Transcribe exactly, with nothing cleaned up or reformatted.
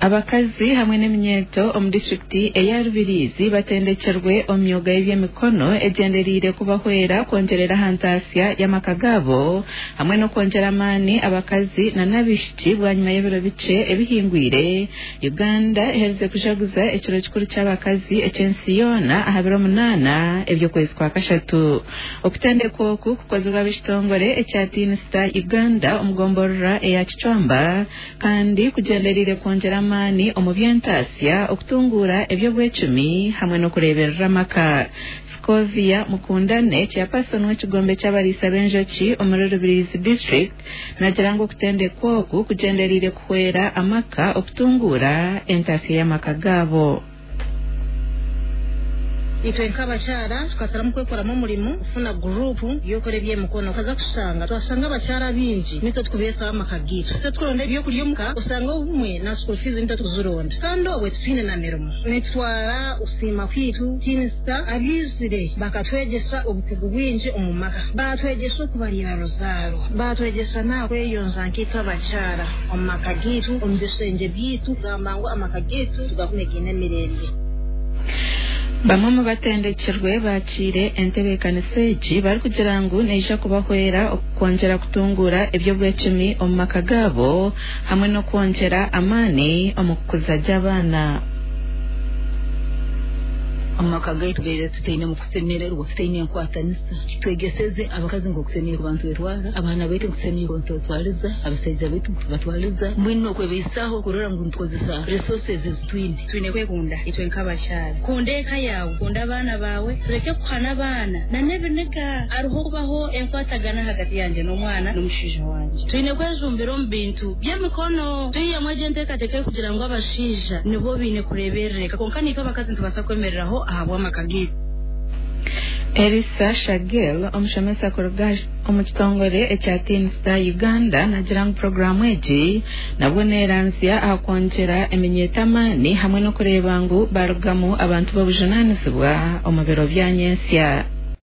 Abakazi hamwe n'eminyeeto omu disitulikiti eya Rubirizi batendekirwe omu myuga y'ebyemikono egyendereire kubahwera kwongyerera aha ntaasya y'amaka gaabo hamwe n'okwongyera amaani abakazi n'abaishiki. Bwanyima y'ebiro bikye ebihingwire, Uganda eherize kujaguza ekiro kikuru ky'abakazi eky'ensi yoona aha biro munaana eby'okwezi kwa kashatu. Okutendekwa oku kukozirwe ab'ekitongore ekya Teen Star Uganda omu gomborora eya Kicwamba, kandi kugyendereire kwongyera amaani omu by'entaasya, okutunguura eby'obwecumi hamwe n'okureeberera amaka. Scovia Mukundane, chairperson w'ekigombe ky'abariisa b'enjoki omuri Rubirizi District, nagira ngu okutendekwa oku kugyendereire kuhwera amaka okutunguura entaasya y'amaka gaabo. Itwe nk'abakyara tukasaramu kwekoramu omurimo, kufuna gurupu y'okukora eby'emikono. Tukaza kushanga, twashanga abakyara bingi nitwe tukubeesaho amaka gaitu, nitwe tukuronda ebyokurya omuka, osanga obumwe na school fees nitwe tukuzironda, kandi obwe titwine na mirimo. Nitutwara okusiima kwaitu Teen Star abaizire bakatwegyesa obukugu bwingi omu maka, batwegyesa okubarira ruzaaro, batwegyesa n'aha kweyonja nk'itwe abakyara omu maka gaitu, omu bishengye byaitu, kugamba ngu amaka gaitu tugakume gaine emirembe. Bamwe mu batendekirwe bakiire entebeekanisa egi barikugira ngu neija kubahwera okwongyera kutunguura eby'obwecumi omu maka gaabo hamwe n'okwongyera amaani omu kukuza gye abaana. Omu maka gaitu tubeire tutaine mu kusemererwa, tutaine enkwatanisa. Twegeseze abakazi nk'okusemeriire kuba nitwetwara, abaana baitu nkusemeriire nitwetwariza, abasaija baitu nkutubatwariza, mbwenu nokwebeisaho kurora ngu nitukozesa resources ezitwine. Twine kwekunda itwe nk'abakyara. Kunda eka yawe, kunda abaana bawe, tureke kuhana abaana nan'ebiniga. Hariho kubaho enkwatagana hagati yangye n'omwana n'omushaija wangye. Twine kwejumbira omu bintu by'emikono, twihemu egyo enteekateeka kugira ngu abashaija nibo baine kureeberera, konka nitwe abakazi nitubaasa kwemereraho ahabw'amaka gaitu. Elisa Shagel, omushomesa kuruga omu kitongore ekya Teen Star Uganda, nagira ngu puroguraamu egi nabwo neeranzya aha kwongyera eminyeeto amaani hamwe n'okureeba ngu barugamu abantu b'obujunaanizibwa omu biro bya nyentsya.